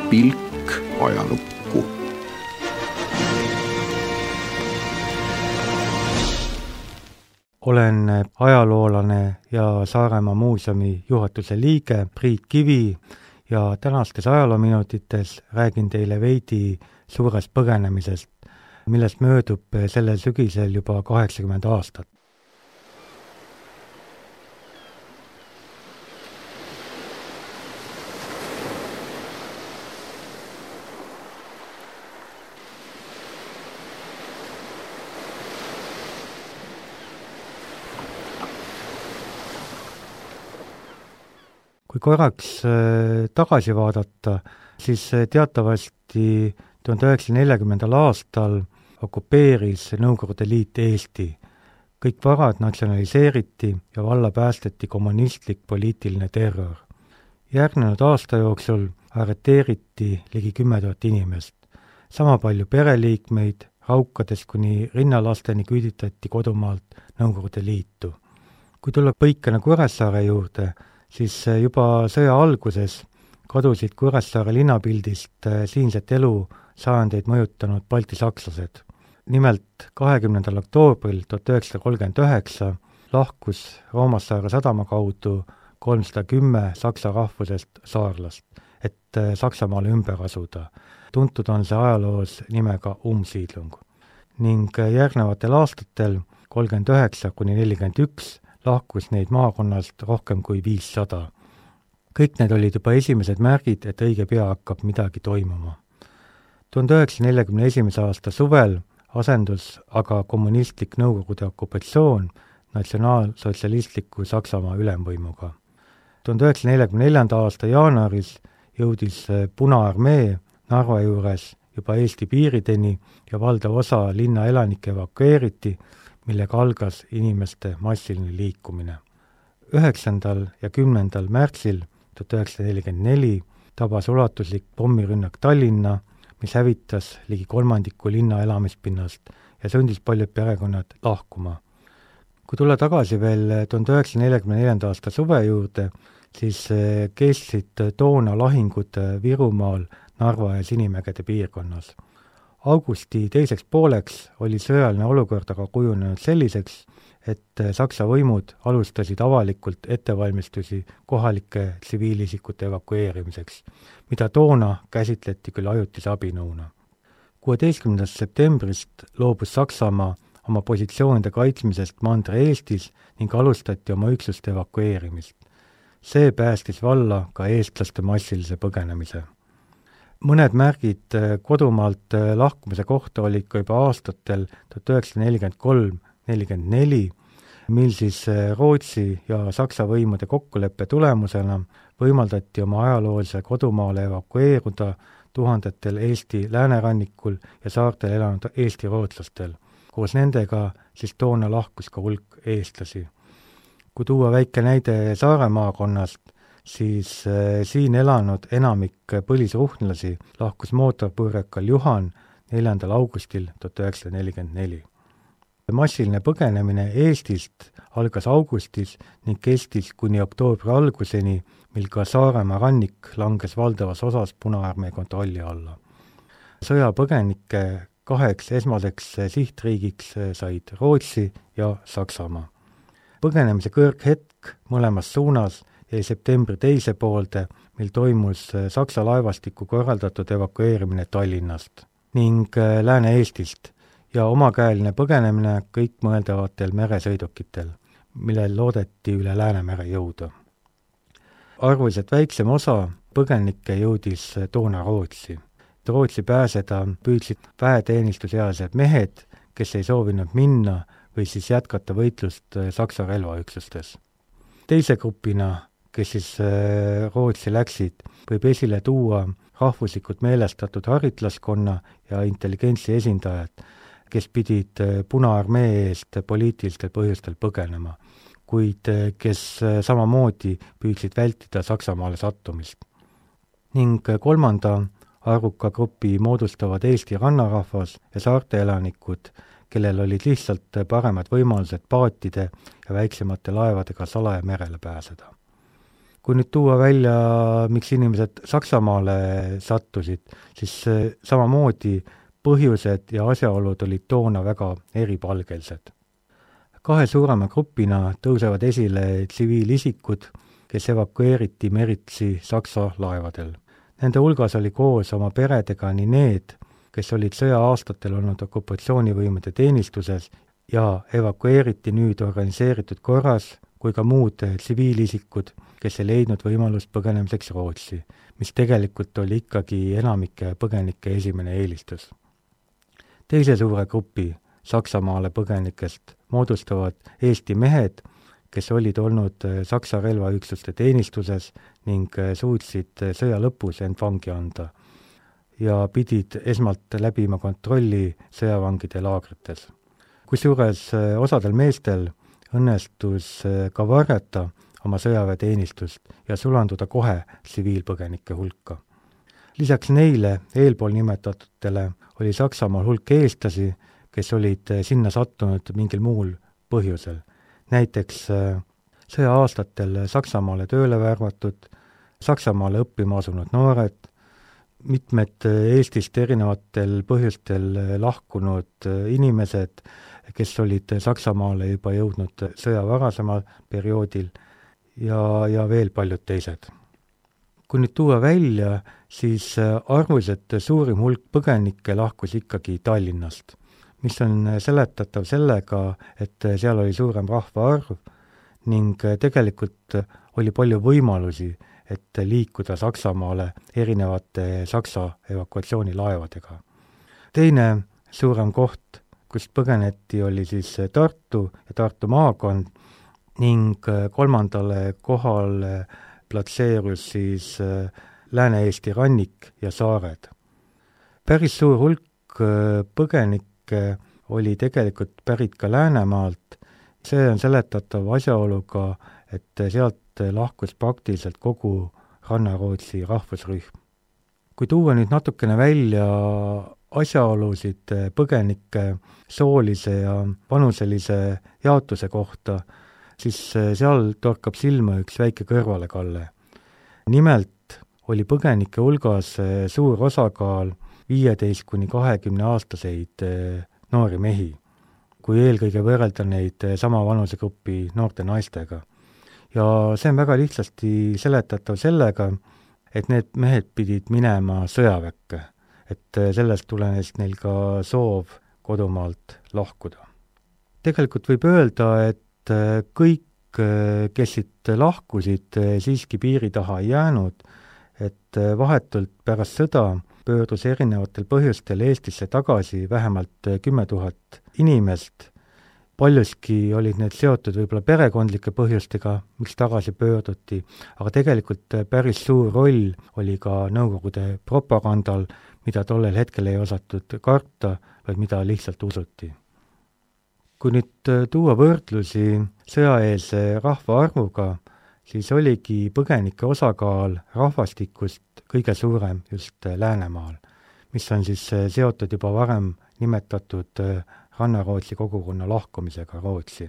pilk ajalukku. Olen ajaloolane ja Saaremaa muuseumi juhatuse liige Priit Kivi ja tänastes ajaloominutites räägin teile veidi suurest põgenemisest, millest möödub sellel sügisel juba 80 aastat. Kui korraks tagasi vaadata, siis teatavasti 1940. aastal okupeeris Nõukogude Liit Eesti. Kõik varad natsionaliseeriti ja valla päästeti kommunistlik poliitiline terror. Järgnenud aasta jooksul arreteeriti ligi 10 000 inimest. Sama palju pereliikmeid, raukades kuni rinnalasteni küüditati kodumaalt Nõukogude Liitu. Kui tulla põikena Kuressaare juurde, siis juba sõja alguses kadusid Kuressaare linnapildist siinset elu sajandeid mõjutanud baltisakslased. Nimelt 20. oktoobril 1939 lahkus Roomassaare sadama kaudu 310 saksa rahvusest saarlast, et Saksamaale ümber asuda. Tuntud on see ajaloos nimega Umsiedlung. Ning järgnevatel aastatel 39–41 lahkus neid maakonnast rohkem kui 500. Kõik need olid juba esimesed märgid, et õige pea hakkab midagi toimuma. 1941. aasta suvel asendus aga kommunistlik Nõukogude okupatsioon natsionaalsotsialistliku Saksamaa ülemvõimuga. 1944. aasta jaanuaris jõudis Punaarmee Narva juures juba Eesti piirideni ja valdav osa linna elanikke evakueeriti, millega algas inimeste massiline liikumine. 9. ja 10. märtsil 1944 tabas ulatuslik pommirünnak Tallinna, mis hävitas ligi kolmandiku linna elamispinnast ja sundis paljud perekonnad lahkuma. Kui tulla tagasi veel 1944. aasta suve juurde, siis kestsid toona lahingud Virumaal, Narva ja Sinimägede piirkonnas. Augusti teiseks pooleks oli sõjaline olukord aga kujunenud selliseks, et Saksa võimud alustasid avalikult ettevalmistusi kohalike tsiviilisikute evakueerimiseks, mida toona käsitleti küll ajutise abinõuna. 16. septembrist loobus Saksamaa oma positsioonide kaitsmisest Mandri-Eestis ning alustati oma üksuste evakueerimist. See päästis valla ka eestlaste massilise põgenemise. Mõned märgid kodumaalt lahkumise kohta olid ka juba aastatel 1943–44, mil siis Rootsi ja Saksa võimude kokkuleppe tulemusena võimaldati oma ajaloolise kodumaale evakueeruda tuhandetel Eesti läänerannikul ja saartel elanud Eesti rootslastel. Koos nendega siis toona lahkus ka hulk eestlasi. Kui tuua väike näide Saare maakonnast, siis siin elanud enamik põlisruhnlasi lahkus mootorpõrrekal Juhan 4. augustil 1944. Massiline põgenemine Eestist algas augustis ning kestis kuni oktoobri alguseni, mil ka Saaremaa rannik langes valdavas osas Punaarmee kontrolli alla. Sõjapõgenike 2 esmaseks sihtriigiks said Rootsi ja Saksamaa. Põgenemise kõrghetk mõlemas suunas jäi septembri teise poolde, mil toimus Saksa laevastiku korraldatud evakueerimine Tallinnast ning Lääne-Eestist ja omakäeline põgenemine kõik mõeldavatel meresõidukitel, millel loodeti üle Läänemere jõuda. Arvuliselt väiksem osa põgenikke jõudis toona Rootsi. Rootsi pääseda püüdsid väeteenistusealised mehed, kes ei soovinud minna või siis jätkata võitlust Saksa relvaüksustes. Teise grupina, kes siis Rootsi läksid, võib esile tuua rahvuslikult meelestatud haritlaskonna ja intelligentsi esindajad, kes pidid Punaarmee eest poliitilistel põhjustel põgenema, kuid kes samamoodi püüdsid vältida Saksamaale sattumist. Ning kolmanda arvuka grupi moodustavad Eesti rannarahvas ja saarte elanikud, kellel olid lihtsalt paremad võimalused paatide ja väiksemate laevadega salaja merele pääseda. Kui nüüd tuua välja, miks inimesed Saksamaale sattusid, siis samamoodi põhjused ja asjaolud olid toona väga eripalgelised. 2 suurema grupina tõusevad esile tsiviilisikud, kes evakueeriti meritsi Saksa laevadel. Nende hulgas oli koos oma peredega nii need, kes olid sõja aastatel olnud okupatsioonivõimude teenistuses ja evakueeriti nüüd organiseeritud korras, kui ka muud tsiviilisikud, kes ei leidnud võimalust põgenemiseks Rootsi, mis tegelikult oli ikkagi enamike põgenike esimene eelistus. Teise suure grupi Saksamaale põgenikest moodustavad Eesti mehed, kes olid olnud Saksa relvaüksuste teenistuses ning suutsid sõja lõpus end vangi anda ja pidid esmalt läbima kontrolli sõjavangide laagrites. Kusjuures osadel meestel õnnestus ka varjata oma sõjaväeteenistust ja sulanduda kohe tsiviilpõgenike hulka. Lisaks neile eelpool nimetatutele oli Saksamaal hulk eestlasi, kes olid sinna sattunud mingil muul põhjusel. Näiteks sõja aastatel Saksamaale tööle värvatud, Saksamaale õppima asunud noored, mitmed Eestist erinevatel põhjustel lahkunud inimesed, kes olid Saksamaale juba jõudnud sõja varasemal perioodil ja veel paljud teised. Kui nüüd tuua välja, siis arvuliselt suurim hulk põgenikke lahkus ikkagi Tallinnast, mis on seletatav sellega, et seal oli suurem rahvaarv ning tegelikult oli palju võimalusi, et liikuda Saksamaale erinevate Saksa evakuatsioonilaevadega. Teine suurem koht, kust põgeneti, oli siis Tartu ja Tartu maakond ning kolmandale kohale platseerus siis Lääne-Eesti rannik ja saared. Päris suur hulk põgenikke oli tegelikult pärit ka Läänemaalt. See on seletatav asjaoluga, et sealt lahkus praktiliselt kogu Ranna-Rootsi rahvusrühm. Kui tuua nüüd natukene välja asjaolusid põgenike soolise ja vanuselise jaotuse kohta, siis seal torkab silma üks väike kõrvalekalle. Nimelt oli põgenike hulgas suur osakaal 15–20 aastaseid noori mehi, kui eelkõige võrrelda neid sama vanusegrupi noorte naistega. Ja see on väga lihtsasti seletatav sellega, et need mehed pidid minema sõjaväkke, et sellest tulenes neil ka soov kodumaalt lahkuda. Tegelikult võib öelda, et kõik, kes siit lahkusid, siiski piiri taha ei jäänud, et vahetult pärast sõda pöördus erinevatel põhjustel Eestisse tagasi vähemalt 10 000 inimest. Paljuski olid need seotud võib-olla perekondlike põhjustega, miks tagasi pöörduti, aga tegelikult päris suur roll oli ka Nõukogude propagandal, mida tollel hetkel ei osatud karta, vaid mida lihtsalt usuti. Kui nüüd tuua võrdlusi sõjaeelse rahvaarvuga, siis oligi põgenike osakaal rahvastikust kõige suurem just Läänemaal, mis on siis seotud juba varem nimetatud Ranna-Rootsi kogukonna lahkumisega Rootsi.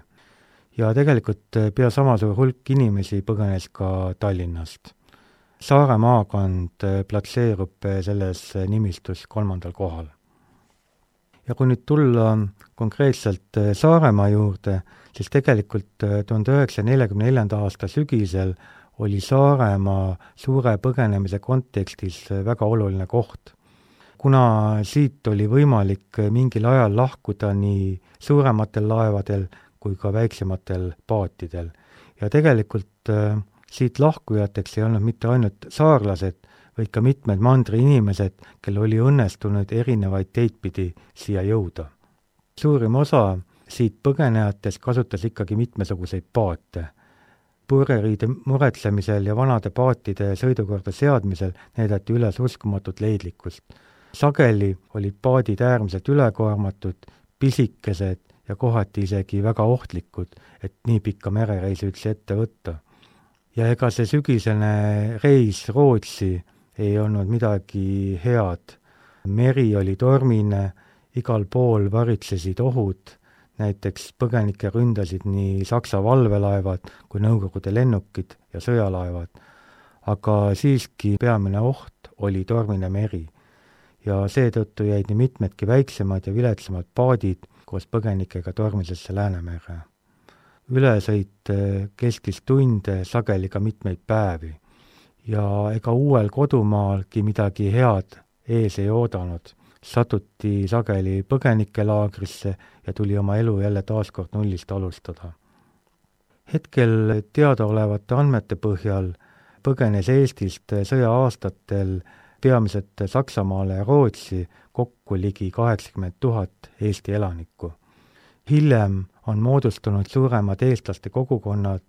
Ja tegelikult pea sama suur hulk inimesi põgenes ka Tallinnast. Saare maakond platseerub selles nimistus 3. kohal. Ja kui nüüd tulla konkreetselt Saaremaa juurde, siis tegelikult 1944. aasta sügisel oli Saaremaa suure põgenemise kontekstis väga oluline koht. Kuna siit oli võimalik mingil ajal lahkuda nii suurematel laevadel kui ka väiksematel paatidel. Ja tegelikult siit lahkujateks ei olnud mitte ainult saarlased, vaid ka mitmed mandri inimesed, kel oli õnnestunud erinevaid teidpidi siia jõuda. Suurim osa siit põgenejatest kasutas ikkagi mitmesuguseid paate. Purjeriide muretsemisel ja vanade paatide sõidukorda seadmisel näidati üles uskumatut leidlikkust. Sageli olid paadid äärmiselt ülekoormatud, pisikesed ja kohati isegi väga ohtlikud, et nii pikka merereisi üldse ette võtta. Ja ega see sügisene reis Rootsi ei olnud midagi head. Meri oli tormine, igal pool varitsesid ohud, näiteks põgenike ründasid nii Saksa valvelaevad kui Nõukogude lennukid ja sõjalaevad. aga siiski peamine oht oli tormine meri ja seetõttu jäid nii mitmedki väiksemad ja viletsamad paadid koos põgenikega tormisesse Läänemerre. Ülesõit kestis tunde, sageli ka mitmeid päevi ja ega uuel kodumaalgi midagi head ees ei oodanud. Satuti sageli põgenikelaagrisse ja tuli oma elu jälle taaskord nullist alustada. Hetkel teadaolevate andmete põhjal põgenes Eestist sõja aastatel peamiselt Saksamaale ja Rootsi kokku ligi 80 000 Eesti elanikku. Hiljem on moodustunud suuremad eestlaste kogukonnad,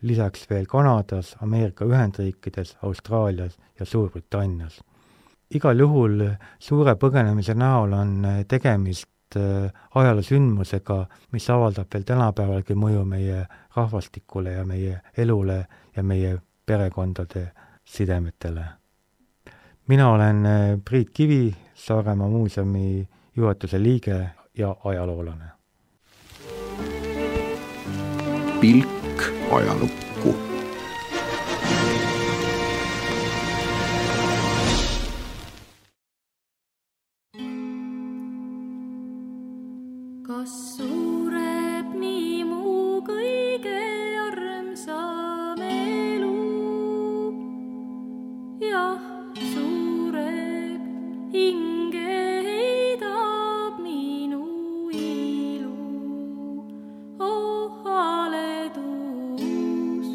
lisaks veel Kanadas, Ameerika Ühendriikides, Austraalias ja Suurbritannias. Igal juhul suure põgenemise näol on tegemist ajaloosündmusega, mis avaldab veel tänapäevalgi mõju meie rahvastikule ja meie elule ja meie perekondade sidemetele. Mina olen Priit Kivi, Saaremaa muuseumi juhatuse liige ja ajaloolane. Pilk ajalukku. Kas suureb nii mu kõige armsam elu? Jah, suureb, hinge heidab minu ilu. Oh haledust,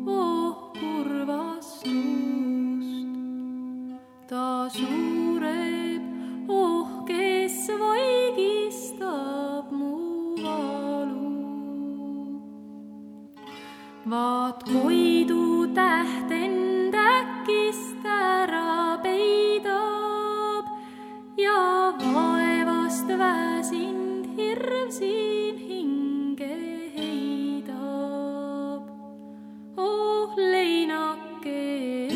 oh kurvastust. Ta suureb, oh kes vaigistab mu valu. Vaat koidu täht end äkist ära peidab ja vaevast väsind hirv siin hinge heidab. Oh leinake,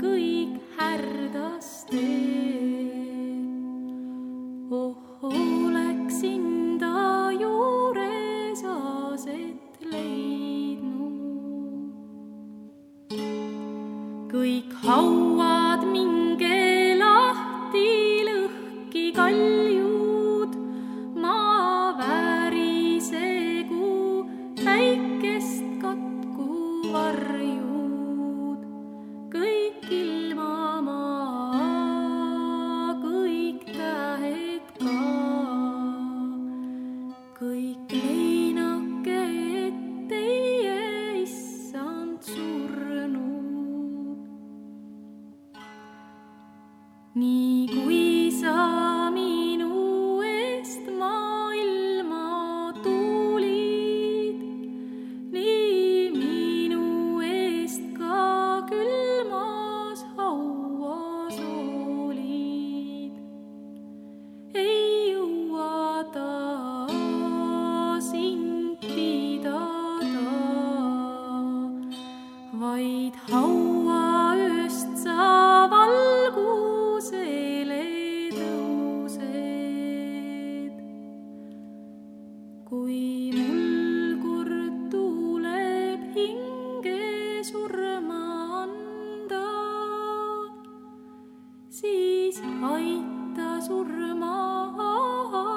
kõik härdaste. Oh oleksin ta juures aset leidnud. Kõik hauad minge lahti, lõhki kaljud, maa värisegu, päikest katku varjud. Kõik ilma maa, kõik tähed ka, kõik leinake, et teie issand surnud. Nii kui sa minu eest maailma tulid, nii minu eest ka külmas hauas olid. Ei jõua ta sind pidada, vaid hauaööst sa valgusele tõused. Kui mul kord tuleb hinge surma anda, siis aita surma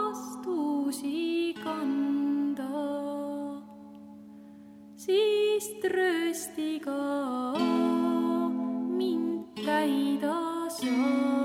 astusi kanda. Siis trööstiga mind täida saa.